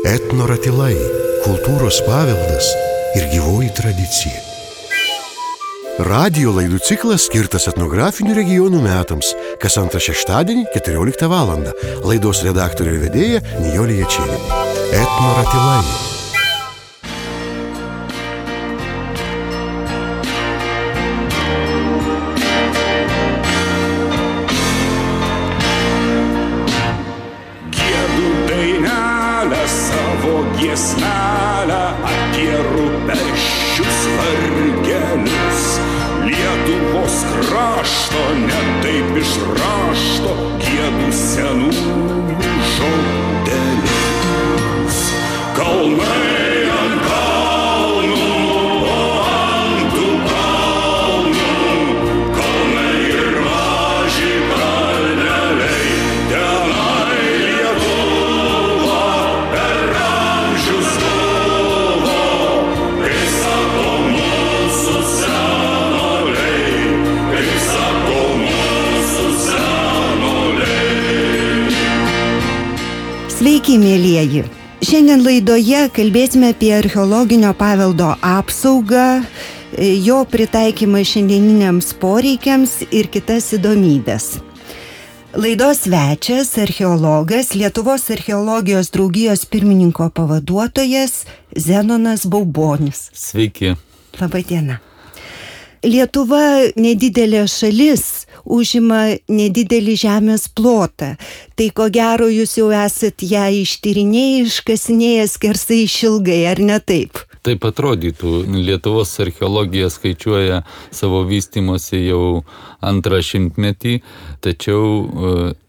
Etnoratilai – kultūros paveldas ir gyvoji tradicija. Radijo laidų ciklas skirtas etnografinių regionų metams, kas antrą šeštadienį 14 val. Laidos redaktorė ir vedėja Nijolė Jačėnė. Etnoratilai. Giesmelę apie rūpesčius vargelius, Lietuvos krašto ne taip išrašto giedų senų žodelius. Kalnai ant kalnų, o ant tų kalnų, kalnai ir maži kalneliai, tenai Lietuva per amžius buvo, kaip sako mūsų senoliai, kaip sako mūsų senoliai. Sveiki, mielieji! Šiandien laidoje kalbėsime apie archeologinio paveldo apsaugą, jo pritaikymą šiandieniniams poreikiams ir kitas įdomybes. Laidos svečias, archeologas, Lietuvos archeologijos draugijos pirmininko pavaduotojas Zenonas Baubonis. Sveiki. Labą dieną. Lietuva nedidelė šalis, užima nedidelį žemės plotą. Tai ko gero jūs jau esat ją ištyrinėję, iškasinėję skersai išilgai, ar ne taip? Taip atrodytų. Lietuvos archeologija skaičiuoja savo vystymosi jau antrą šimtmetį, tačiau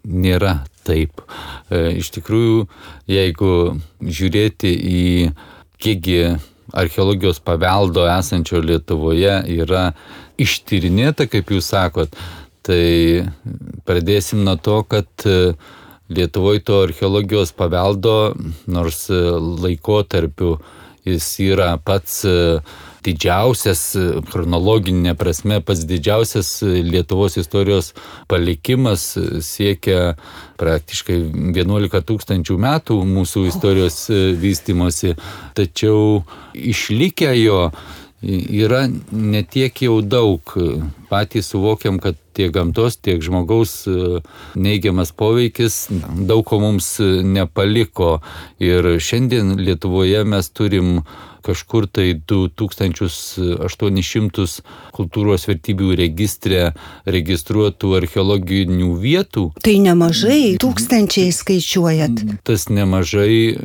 nėra taip. Iš tikrųjų, jeigu žiūrėti į kiekgi archeologijos paveldo esančio Lietuvoje yra ištyrinėta, kaip jūs sakot, tai pradėsim nuo to, kad Lietuvoje to archeologijos paveldo, nors laikotarpiu jis yra pats didžiausias, chronologinė prasme, pats didžiausias Lietuvos istorijos palikimas siekia praktiškai 11 000 metų mūsų istorijos vystymosi, tačiau išlikę jo yra netiek jau daug. Patys suvokiam, kad tiek gamtos, tiek žmogaus neigiamas poveikis daug ko mums nepaliko. Ir šiandien Lietuvoje mes turim kažkur tai 2800 kultūros vertybių registre registruotų archeologinių vietų. Tai nemažai, tūkstančiai skaičiuojat. Tas nemažai.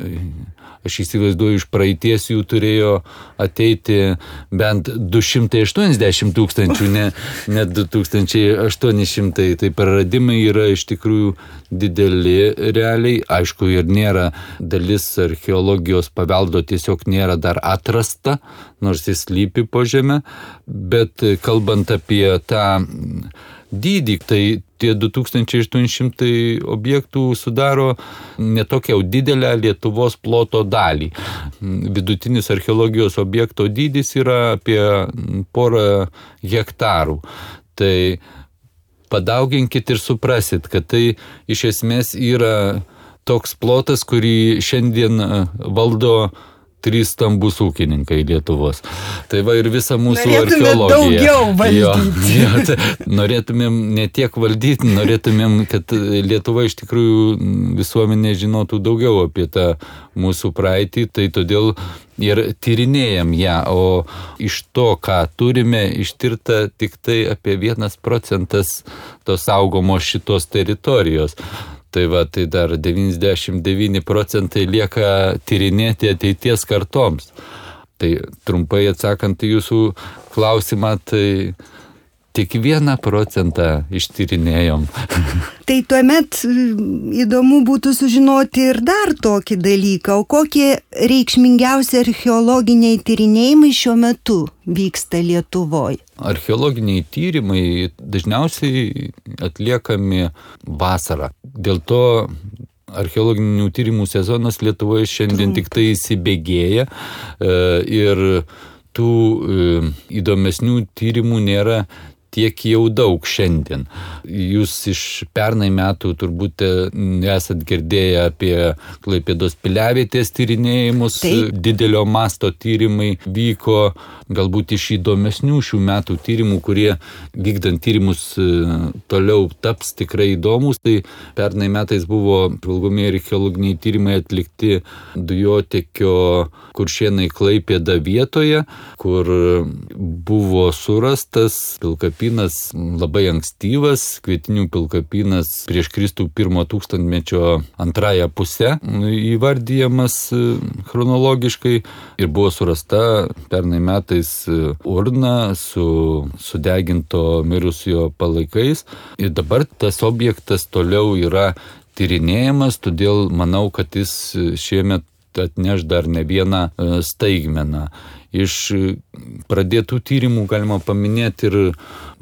Aš įsivaizduoju, iš praeities jų turėjo ateiti bent 280 000, ne 2800. Tai praradimai yra iš tikrųjų dideli realiai. Aišku, ir nėra dalis archeologijos paveldo, tiesiog nėra dar atrasta, nors jis slypi po žemę. Bet kalbant apie tą dydį, tai tie 2800 objektų sudaro netokią didelę Lietuvos ploto dalį. Vidutinis archeologijos objekto dydis yra apie 1 hektarų. Tai padauginkit ir suprasit, kad tai iš esmės yra toks plotas, kurį šiandien valdo 3 stambus ūkininkai Lietuvos. Tai va ir visa mūsų archeologija. Norėtumėm daugiau valdyti. Jo, norėtumėm ne tiek valdyti, norėtumėm, kad Lietuva iš tikrųjų visuomenė žinotų daugiau apie tą mūsų praeitį, tai todėl ir tyrinėjam ją, o iš to, ką turime, ištirta tik tai apie 1% tos saugomos šitos teritorijos. Tai va, tai dar 99% lieka tyrinėti ateities kartoms. Tai trumpai atsakant į jūsų klausimą, tai tik 1% ištyrinėjom. Tai tuomet įdomu būtų sužinoti ir dar tokį dalyką, o kokie reikšmingiausi archeologiniai tyrinėjimai šiuo metu vyksta Lietuvoje? Archeologiniai tyrimai dažniausiai atliekami vasarą. Dėl to archeologinių tyrimų sezonas Lietuvoje šiandien tik tai įsibėgėja ir tų įdomesnių tyrimų nėra tiek jau daug šiandien. Jūs iš pernai metų turbūt esat girdėję apie Klaipėdos piliavietės tyrinėjimus. Taip. Didelio masto tyrimai vyko, galbūt iš įdomesnių šių metų tyrimų, kurie vykdant tyrimus toliau taps tikrai įdomus. Tai pernai metais buvo žvalgomieji archeologiniai tyrimai atlikti dujotiekio Kuršėnai Klaipėda vietoje, kur buvo surastas pilkapinas labai ankstyvas, Kvietinių pilkapinas prieš Kristų 1 tūkstantmečio antrąją pusę įvardyjamas chronologiškai ir buvo surasta pernai metais urna su sudeginto mirusiojo palaikais ir dabar tas objektas toliau yra tyrinėjamas, todėl manau, kad jis šiemet atneš dar ne vieną staigmeną. Iš pradėtų tyrimų galima paminėti ir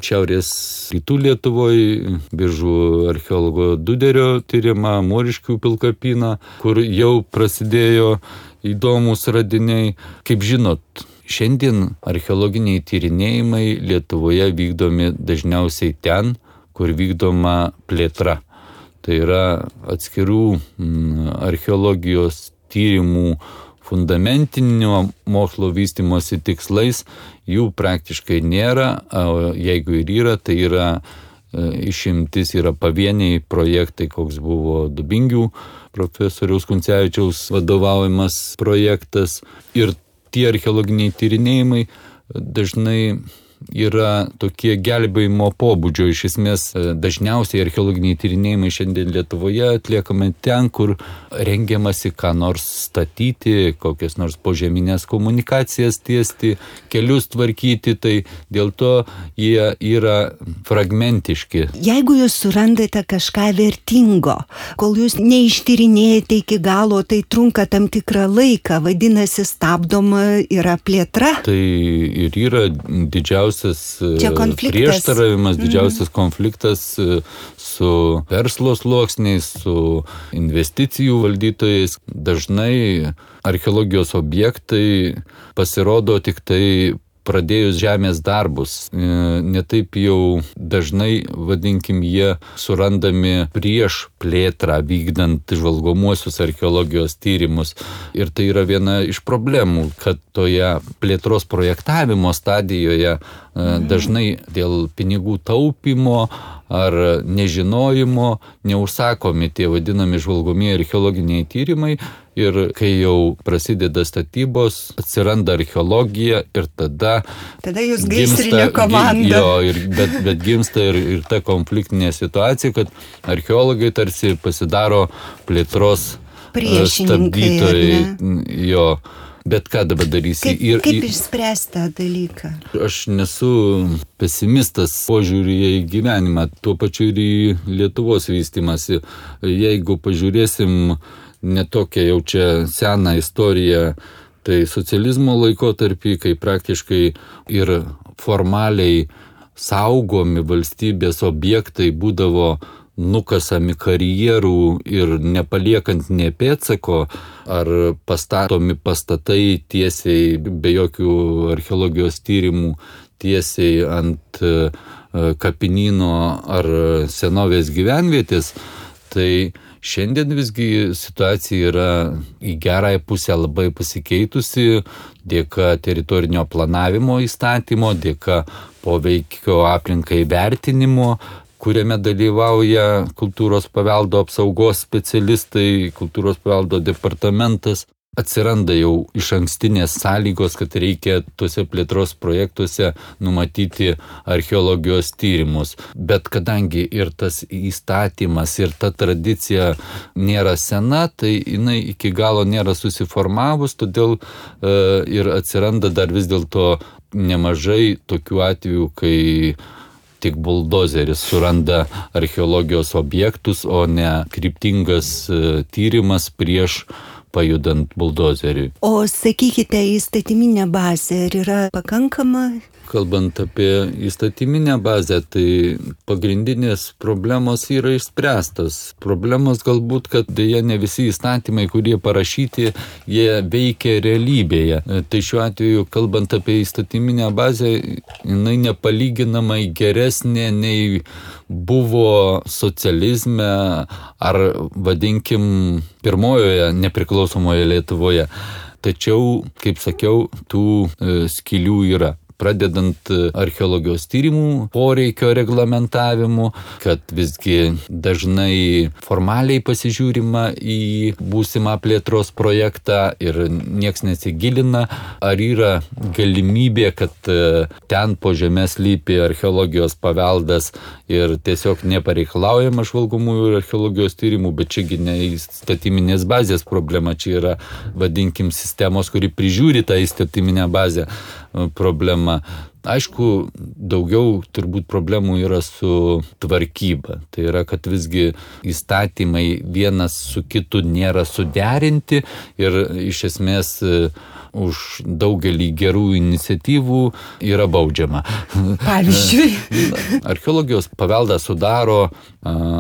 šiaurės rytų Lietuvoje Biržų archeologo Duderio tyrimą, Moriškių pilkapiną, kur jau prasidėjo įdomus radiniai. Kaip žinot, šiandien archeologiniai tyrinėjimai Lietuvoje vykdomi dažniausiai ten, kur vykdoma plėtra. Tai yra atskirų archeologijos tyrimų fundamentinio mokslo vystymosi tikslais, jų praktiškai nėra, o jeigu ir yra, tai yra išimtis yra pavieniai projektai, koks buvo Dubingių profesoriaus Kuncevičiaus vadovaujamas projektas. Ir tie archeologiniai tyrinėjimai dažnai yra tokie gelbėjimo pobūdžio. Iš esmės, dažniausiai archeologiniai tyrinėjimai šiandien Lietuvoje atliekami ten, kur rengiamasi ką nors statyti, kokias nors požeminės komunikacijas tiesti, kelius tvarkyti, tai dėl to jie yra fragmentiški. Jeigu jūs surandate kažką vertingo, kol jūs neištyrinėjate iki galo, tai trunka tam tikrą laiką, vadinasi, stabdoma yra plėtra. Tai ir yra didžiausias prieštaravimas, didžiausias konfliktas su verslo sluoksniais, su investicijų valdytojais. Dažnai archeologijos objektai pasirodo tik tai pradėjus žemės darbus. Netaip jau dažnai, vadinkim, jie surandami prieš plėtrą, vykdant žvalgomuosius archeologijos tyrimus. Ir tai yra viena iš problemų, kad toje plėtros projektavimo stadijoje dažnai dėl pinigų taupimo ar nežinojimo neužsakomi tie vadinami žvalgomieji archeologiniai tyrimai. Ir kai jau prasideda statybos, atsiranda archeologija ir tada jūs gaisrinė komanda. Bet gimsta ir ta konfliktinė situacija, kad archeologai tarsi pasidaro plėtros stabdytojai. Bet ką dabar darysi? Kaip išspręsti tą dalyką? Aš nesu pesimistas požiūrėje į gyvenimą, tuo pačiu ir į Lietuvos vystymąsi. Jeigu pažiūrėsim netokią jau čia seną istoriją, tai socializmo laikotarpį, kai praktiškai ir formaliai saugomi valstybės objektai būdavo nukasami karjerų ir nepaliekant nė pėdsako, ar pastatomi pastatai tiesiai, be jokių archeologijos tyrimų, tiesiai ant kapinyno ar senovės gyvenvietės, tai šiandien visgi situacija yra į gerąją pusę labai pasikeitusi dėka teritorinio planavimo įstatymo, dėka poveikio aplinkai vertinimo, kuriame dalyvauja kultūros paveldo apsaugos specialistai, kultūros paveldo departamentas. Atsiranda jau išankstinės sąlygos, kad reikia tuose plėtros projektuose numatyti archeologijos tyrimus. Bet kadangi ir tas įstatymas, ir ta tradicija nėra sena, tai jinai iki galo nėra susiformavus, todėl ir atsiranda dar vis dėlto nemažai tokių atvejų, kai tik buldozeris suranda archeologijos objektus, o ne kryptingas tyrimas prieš pajudant buldozeriui. O sakykite, įstatyminė bazė ar yra pakankama? Kalbant apie įstatyminę bazę, tai pagrindinės problemos yra išspręstos. Problemos galbūt, kad dėja ne visi įstatymai, kurie parašyti, jie veikia realybėje. Tai šiuo atveju, kalbant apie įstatyminę bazę, jinai nepalyginamai geresnė nei buvo socializme ar, vadinkim, pirmojoje nepriklausomoje Lietuvoje. Tačiau, kaip sakiau, tų skylių yra. Pradedant archeologijos tyrimų poreikio reglamentavimu, kad visgi dažnai formaliai pasižiūrima į būsimą plėtros projektą ir nieks nesigilina, ar yra galimybė, kad ten po žemė slypi archeologijos paveldas ir tiesiog nepareikalaujama žvalgomųjų ir archeologijos tyrimų, bet čiagi ne įstatyminės bazės problema, čia yra, vadinkim, sistemos, kuri prižiūri tą įstatyminę bazę problema. Aišku, daugiau turbūt problemų yra su tvarkyba. Tai yra, kad visgi įstatymai vienas su kitu nėra suderinti ir iš esmės už daugelį gerų iniciatyvų yra baudžiama. Pavyzdžiui. Archeologijos paveldą sudaro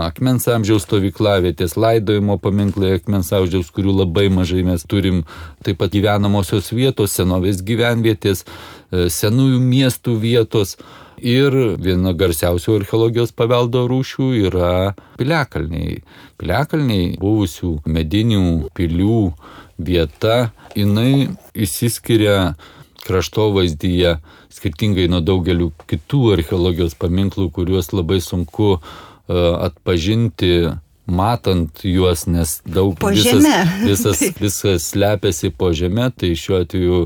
akmens amžiaus stovyklavietės, laidojimo paminklai akmens amžiaus, kurių labai mažai mes turim, taip pat gyvenamosios vietos, senovės gyvenvietės, senųjų miestų vietos. Ir viena garsiausių archeologijos paveldo rūšių yra piliakalniai. Piliakalniai buvusių medinių pilių vieta, jinai išsiskiria kraštovaizdyje skirtingai nuo daugelių kitų archeologijos paminklų, kuriuos labai sunku atpažinti matant juos, nes daug visas slepiasi po žeme, tai šiuo atveju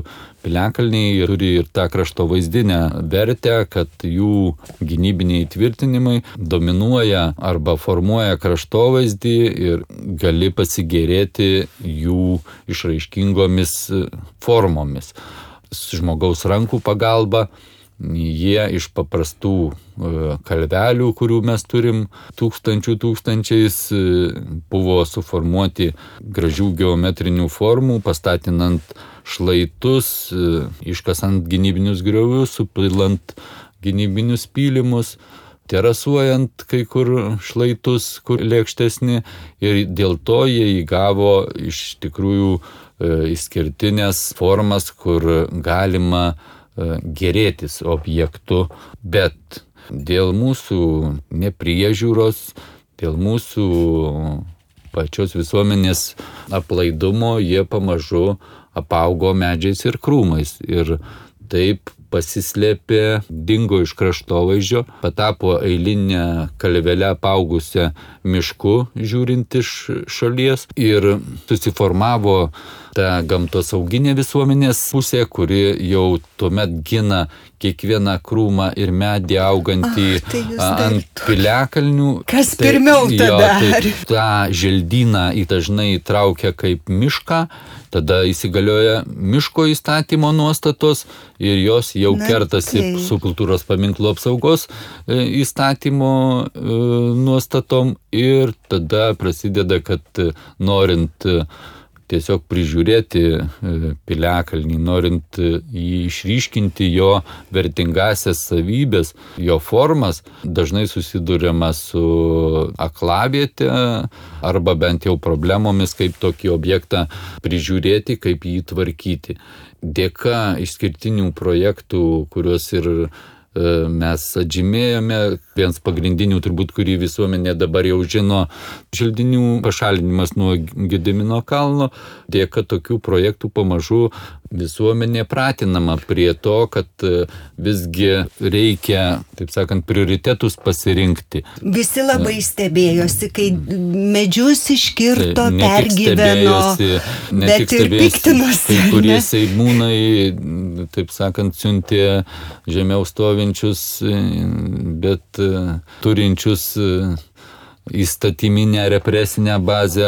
piliakalniai turi ir tą kraštovaizdinę vertę, kad jų gynybiniai tvirtinimai dominuoja arba formuoja kraštovaizdį ir gali pasigėrėti jų išraiškingomis formomis. Žmogaus rankų pagalba jie iš paprastų kalvelių, kurių mes turim tūkstančiais, buvo suformuoti gražių geometrinių formų, pastatinant šlaitus, iškasant gynybinius griovius, supilant gynybinius pylimus, terasuojant kai kur šlaitus, kur lėkštesni, ir dėl to jie įgavo iš tikrųjų išskirtinės formas, kur galima gerėtis objektu, bet dėl mūsų nepriežiūros, dėl mūsų pačios visuomenės aplaidumo jie pamažu apaugo medžiais ir krūmais ir taip pasislėpė, dingo iš kraštovaizdžio, patapo eilinę kalvelę apaugusią mišku, žiūrint iš šalies, ir susiformavo ta gamtosauginė visuomenės pusė, kuri jau tuomet gina kiekvieną krūmą ir medį augantį ant piliakalnių. Kas pirmiau tada? Tai tą želdyną dažnai įtraukia kaip mišką, tada įsigalioja miško įstatymo nuostatos ir jos jau kertasi su kultūros paminklų apsaugos įstatymo nuostatom ir tada prasideda, kad norint tiesiog prižiūrėti piliakalnį, norint išryškinti jo vertingasias savybės, jo formas, dažnai susiduriama su aklaviete arba bent jau problemomis, kaip tokį objektą prižiūrėti, kaip jį tvarkyti. Dėka išskirtinių projektų, kuriuos ir mes atžymėjome, vienas pagrindinių turbūt, kurį visuomenė dabar jau žino, želdinių pašalinimas nuo Gedimino kalno. Dėka tokių projektų pamažu visuomenė pratinama prie to, kad visgi reikia, taip sakant, prioritetus pasirinkti. Visi labai stebėjosi, kai medžius iškirto, pergyveno, bet ir piktinosi. Kai kurie seimūnai, taip sakant, siuntė žemiau stovinčius, bet turinčius įstatyminę represinę bazę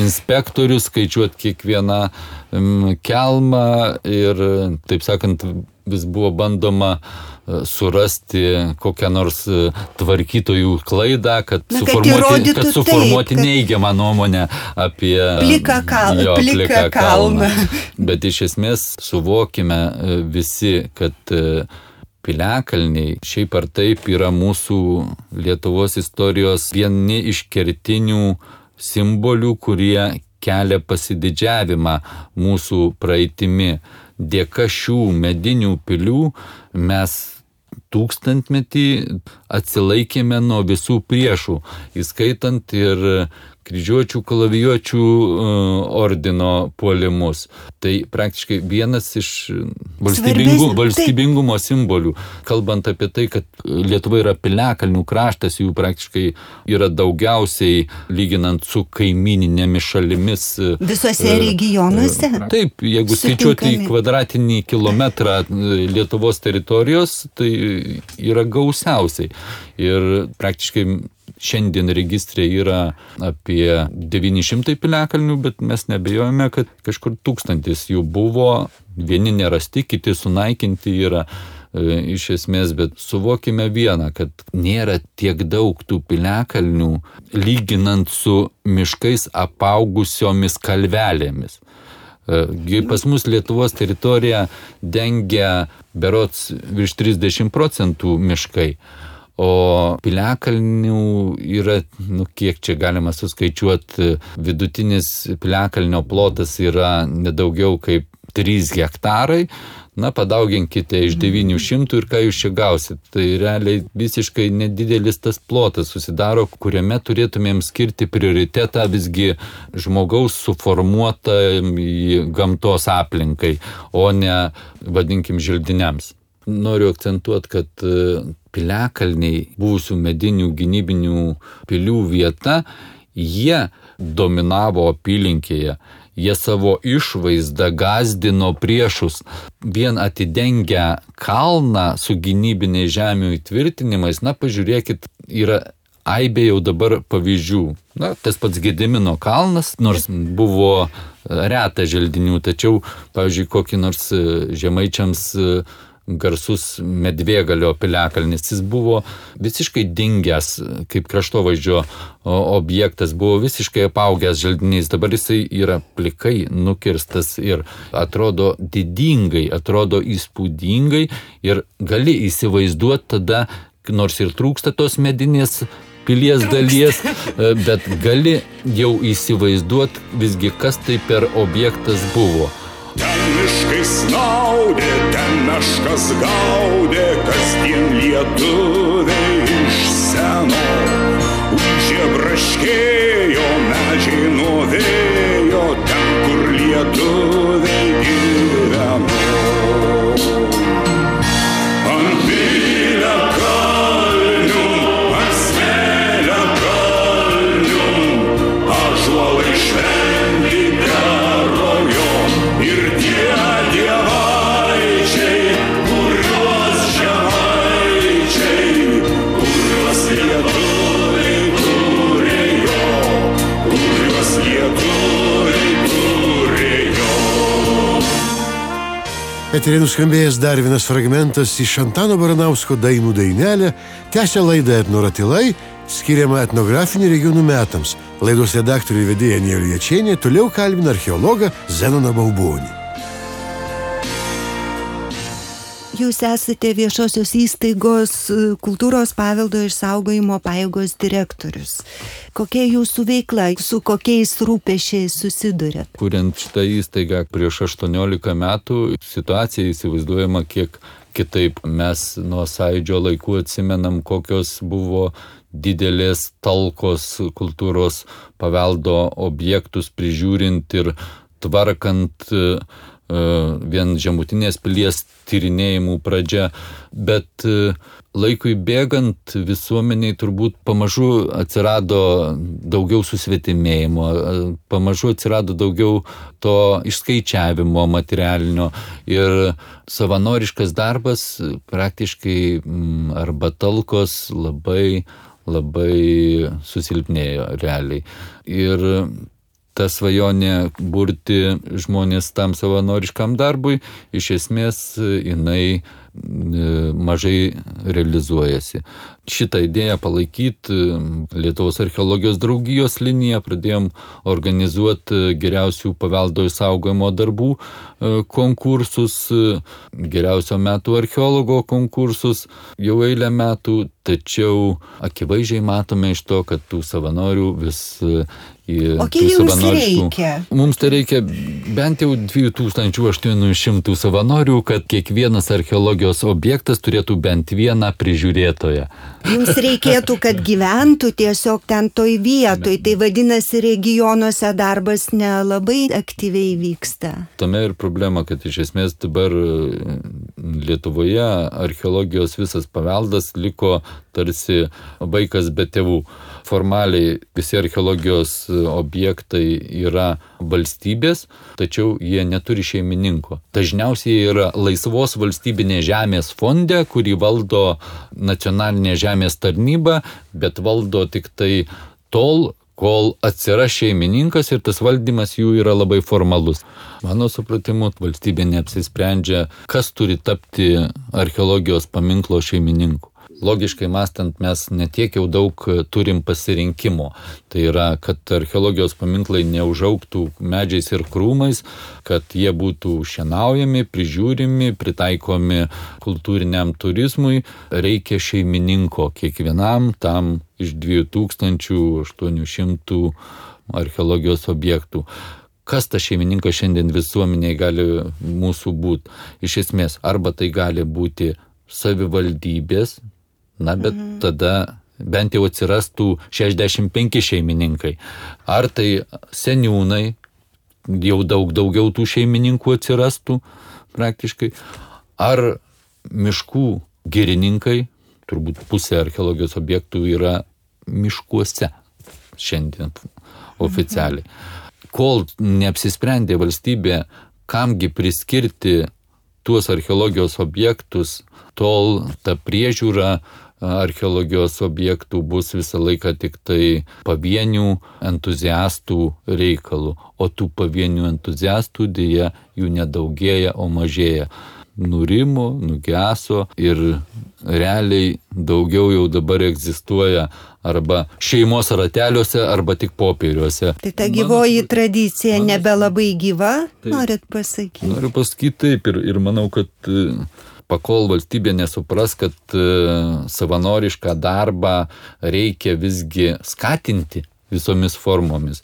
inspektorių, skaičiuoti kiekvieną kelmą ir, taip sakant, vis buvo bandoma surasti kokią nors tvarkytojų klaidą, kad suformuoti neigiamą nuomonę apie pliką kalną. Bet iš esmės suvokime visi, kad piliakalniai šiaip ar taip yra mūsų Lietuvos istorijos vieni iš kertinių simbolių, kurie kelia pasididžiavimą mūsų praeitimi. Dėka šių medinių pilių mes tūkstantmetį atsilaikėme nuo visų priešų, įskaitant ir kryžiuočių kalavijuočių ordino puolimus. Tai praktiškai vienas iš valstybingumo simbolių. Kalbant apie tai, kad Lietuva yra piliakalnių kraštas, jų praktiškai yra daugiausiai lyginant su kaimininėmis šalimis. Visose regionuose? Taip, jeigu skaičiuoti į kvadratinį kilometrą Lietuvos teritorijos, tai yra gausiausiai. Ir praktiškai šiandien registrė yra apie 900 piliakalnių, bet mes nebejojame, kad kažkur 1000 jų buvo, vieni nerasti, kiti sunaikinti yra iš esmės, bet suvokime vieną, kad nėra tiek daug tų piliakalnių lyginant su miškais apaugusiomis kalvelėmis. Pas mus Lietuvos teritoriją dengia berods virš 30% miškai. O piliakalnių yra, kiek čia galima suskaičiuoti, vidutinis piliakalnio plotas yra nedaugiau kaip 3 hektarai. Padauginkite iš 900 ir ką jūs čia gausit. Tai realiai visiškai nedidelis tas plotas susidaro, kuriame turėtumėm skirti prioritetą visgi žmogaus suformuotą gamtos aplinkai, o ne, vadinkim, želdiniams. Noriu akcentuoti, kad piliakalniai, buvusių medinių gynybinių pilių vieta, jie dominavo apylinkėje. Jie savo išvaizdą gąsdino priešus. Vien atidengę kalną su gynybiniais žemių įtvirtinimais, pažiūrėkit, yra aibė jau dabar pavyzdžių. Tas pats Gedimino kalnas, nors buvo reta želdinių, tačiau, pavyzdžiui, kokį nors žemaičiams garsus Medvėgalio piliakalnis, jis buvo visiškai dingęs kaip kraštovaizdžio objektas, buvo visiškai apaugęs želdiniais, dabar jisai yra plikai nukirstas ir atrodo didingai, atrodo įspūdingai ir gali įsivaizduoti tada, nors ir trūksta tos medinės pilies dalies, bet gali jau įsivaizduoti visgi, kas tai per objektas buvo. Ten miškai snaudė, ten meškas gaudė, kasdien lietuviai iš seno. Ūžė braškėjo, medžiai nuo vėjo, ten, kur lietuviai gyveno. Ant piliakalnių, ant smėliakalnių, ąžuolai šventi kerojo. Ir tie dievaičiai, kuriuos žemaičiai, kuriuos lietuviai turėjo, kuriuos lietuviai turėjo. Eteryje nuskambėjęs dar vienas fragmentas iš Antano Baranausko dainų dainelė, tęsia laidą Etnoratilai, skiriama etnografinių regionų metams. Laidos redaktorių vedėja Nijolė Jačienė toliau kalbina archeologą Zenoną Baubonį. Jūs esate viešosios įstaigos kultūros paveldo išsaugojimo pajėgos direktorius. Kokia jūsų veikla, su kokiais rūpesčiais susiduriat? Kuriant šitą įstaigą prieš 18 metų, situacija įsivaizduojama kiek kitaip. Mes nuo Sąjūdžio laikų atsimenam, kokios buvo didelės talkos kultūros paveldo objektus prižiūrint ir tvarkant vien Žemutinės pilies tyrinėjimų pradžia, bet laikui bėgant visuomeniai turbūt pamažu atsirado daugiau susvetimėjimo, pamažu atsirado daugiau to išskaičiavimo materialinio ir savanoriškas darbas praktiškai arba talkos labai labai susilpnėjo realiai. Ir ta svajonė burti žmonės tam savanoriškam darbui, iš esmės jinai mažai realizuojasi. Šitą idėją palaikyti Lietuvos archeologijos draugijos liniją pradėjom organizuoti geriausių paveldo išsaugojimo darbų konkursus, geriausio metų archeologo konkursus jau eilę metų, tačiau akivaizdžiai matome iš to, kad tų savanorių vis O kiek jums reikia? Mums tai reikia bent jau 2800 savanorių, kad kiekvienas archeologijos objektas turėtų bent vieną prižiūrėtoją. Jums reikėtų, kad gyventų tiesiog ten toj vietoj, tai vadinasi regionuose darbas nelabai aktyviai vyksta. Tame ir problema, kad iš esmės dabar Lietuvoje archeologijos visas paveldas liko tarsi vaikas be tėvų. Formaliai visi archeologijos objektai yra valstybės, tačiau jie neturi šeimininko. Dažniausiai yra laisvos valstybinės žemės fonde, kurį valdo nacionalinė žemės tarnyba, bet valdo tik tai tol, kol atsiras šeimininkas ir tas valdymas jų yra labai formalus. Mano supratimu, valstybė neapsisprendžia, kas turi tapti archeologijos paminklo šeimininku. Logiškai mąstant, mes netiek jau daug turim pasirinkimo. Tai yra, kad archeologijos paminklai neužaugtų medžiais ir krūmais, kad jie būtų šienaujami, prižiūrimi, pritaikomi kultūriniam turizmui. Reikia šeimininko kiekvienam tam iš 2800 archeologijos objektų. Kas tas šeimininkas šiandien visuomeniai gali mūsų būti? Iš esmės, arba tai gali būti savivaldybės, bet tada bent jau atsirastų 65 šeimininkai. Ar tai seniūnai, jau daugiau tų šeimininkų atsirastų praktiškai, ar miškų girininkai, turbūt pusė archeologijos objektų yra miškuose šiandien oficialiai. Kol neapsisprendė valstybė, kamgi priskirti tuos archeologijos objektus, tol ta priežiūra archeologijos objektų bus visą laiką tik tai pavienių entuziastų reikalų, o tų pavienių entuziastų dėja jų nedaugėja, o mažėja. Nurimo, nugeso ir realiai daugiau jau dabar egzistuoja arba šeimos rateliuose, arba tik popieriuose. Tai ta gyvoji tradicija nebelabai gyva, norit pasakyti? Noriu pasakyti taip ir manau, kad pakol valstybė nesupras, kad savanorišką darbą reikia visgi skatinti visomis formomis,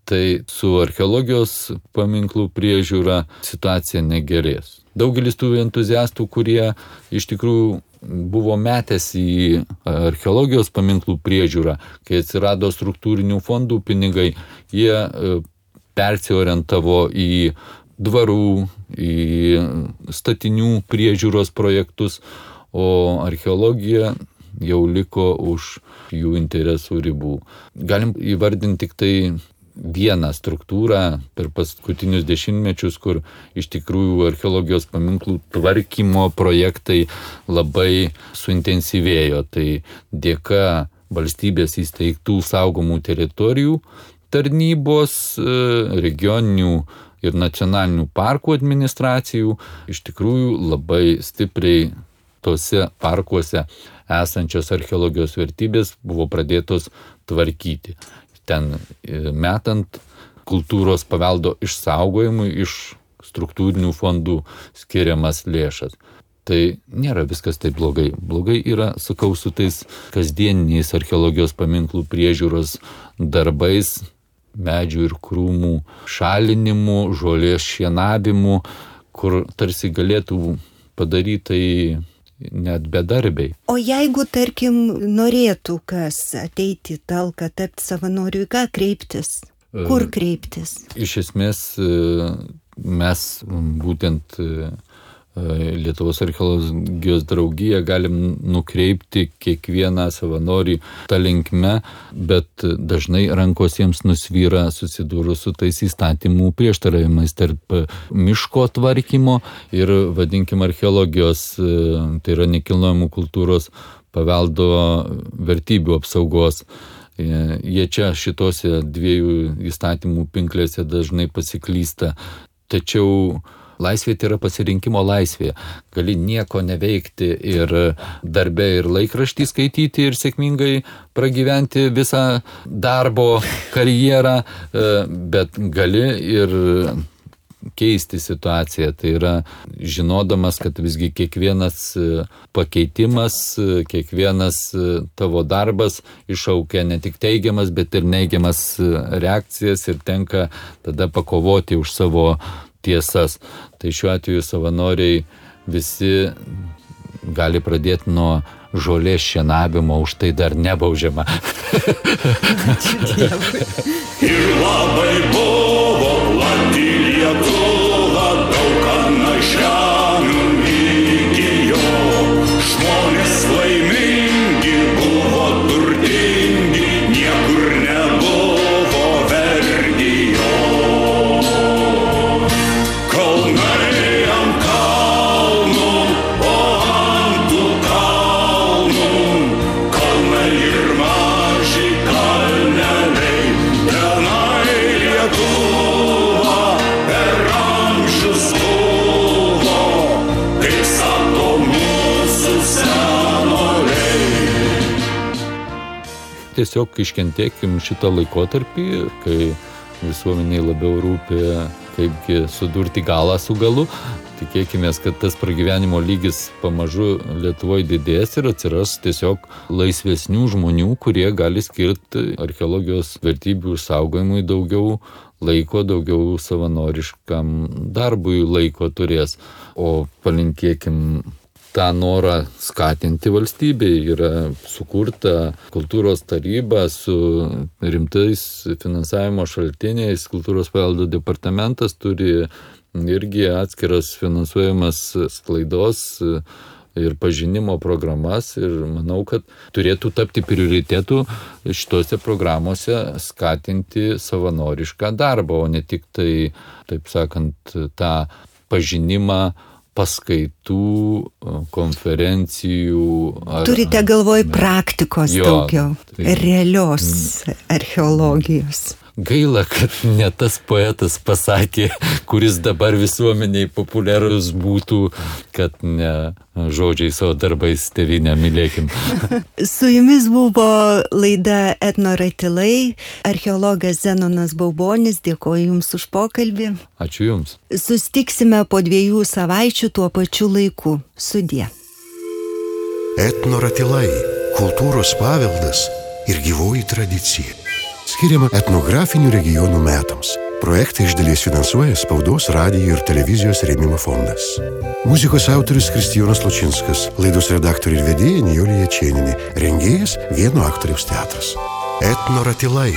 tai su archeologijos paminklų priežiūra situacija negerės. Daugelis tų entuziastų, kurie iš tikrųjų buvo metęs į archeologijos paminklų priežiūrą, kai atsirado struktūrinių fondų pinigai, jie persiorientavo į dvarų, į statinių priežiūros projektus, o archeologija jau liko už jų interesų ribų. Galim įvardinti tik tai vieną struktūrą per paskutinius dešimtmečius, kur iš tikrųjų archeologijos paminklų tvarkymo projektai labai suintensyvėjo. Tai dėka valstybės įsteigtų saugomų teritorijų tarnybos, regioninių ir nacionalinių parkų administracijų iš tikrųjų labai stipriai tose parkuose esančios archeologijos vertybės buvo pradėtos tvarkyti. Ten metant kultūros paveldo išsaugojimui iš struktūrinių fondų skiriamas lėšas. Tai nėra viskas taip blogai. Blogai yra, sakau, su tais kasdieniniais archeologijos paminklų priežiūros darbais, medžių ir krūmų šalinimu, žolės šienavimu, kur tarsi galėtų padaryti tai net bedarbiai. O jeigu, tarkim, norėtų kas ateiti į talką, tapti savanoriu, ką kreiptis? Kur kreiptis? Iš esmės mes būtent Lietuvos archeologijos draugiją galim nukreipti kiekvieną savanorį tą linkme, bet dažnai rankos jiems nusvyra susidūrus su tais įstatymų prieštaravimais tarp miško tvarkymo ir, vadinkim, archeologijos, tai yra nekilnojamų kultūros paveldo vertybių apsaugos. Jie čia šitose dviejų įstatymų pinklėse dažnai pasiklysta. Tačiau laisvė tai yra pasirinkimo laisvė. Gali nieko neveikti ir darbe ir laikraštį skaityti ir sėkmingai pragyventi visą darbo karjerą, bet gali ir keisti situaciją. Tai yra žinodamas, kad visgi kiekvienas pakeitimas, kiekvienas tavo darbas iššaukia ne tik teigiamas, bet ir neigiamas reakcijas ir tenka tada pakovoti už savo tiesas. Tai šiuo atveju savanoriai visi gali pradėti nuo žolės šienavimo, už tai dar nebaudžiama. Ir labai buvo plati Lietuva, daug ką našlių įgijo. Žmonės laimingi buvo turtingi, niekur nebuvo vergijo. Kalnai ant kalnų, o ant tų kalnų, kalnai ir maži kalneliai, tenai Lietuva per amžius buvo, kaip sako mūsų senoliai. Tiesiog iškentėkim šitą laikotarpį, kai visuomeniai labiau rūpi, kaipgi sudurti galą su galu. Tikėkime, kad tas pragyvenimo lygis pamažu Lietuvoje didės ir atsiras tiesiog laisvesnių žmonių, kurie gali skirti archeologijos vertybių išsaugojimui daugiau laiko, daugiau savanoriškam darbui laiko turės. O palinkėkim tą norą skatinti valstybei. Yra sukurta kultūros taryba su rimtais finansavimo šaltiniais. Kultūros paveldo departamentas turi irgi atskiras finansuojamas sklaidos ir pažinimo programas ir manau, kad turėtų tapti prioritetu šitose programuose skatinti savanorišką darbą, o ne tik tai, taip sakant, tą pažinimą paskaitų, konferencijų. Turite galvoj praktikos daugiau, realios archeologijos. Gaila, kad ne tas poetas pasakė, kuris dabar visuomeniai populiarus būtų, kad ne žodžiais, o darbais tėvynę mylėkim. Su jumis buvo laida Etnoratilai, archeologas Zenonas Baubonis, dėkoju Jums už pokalbį. Ačiū Jums. Sustiksime po 2 savaičių tuo pačiu laiku. Sudie. Etnoratilai – kultūros paveldas ir gyvoji tradicija. Skiriama etnografinių regionų metams. Projektą iš dalies finansuoja Spaudos, radijo ir televizijos rėmimo fondas. Muzikos autorius Kristijonas Lučinskas, laidos redaktorė ir vedėja Nijolė Jačėnienė, rengėjas Vieno aktoriaus teatras. Etnoratilai.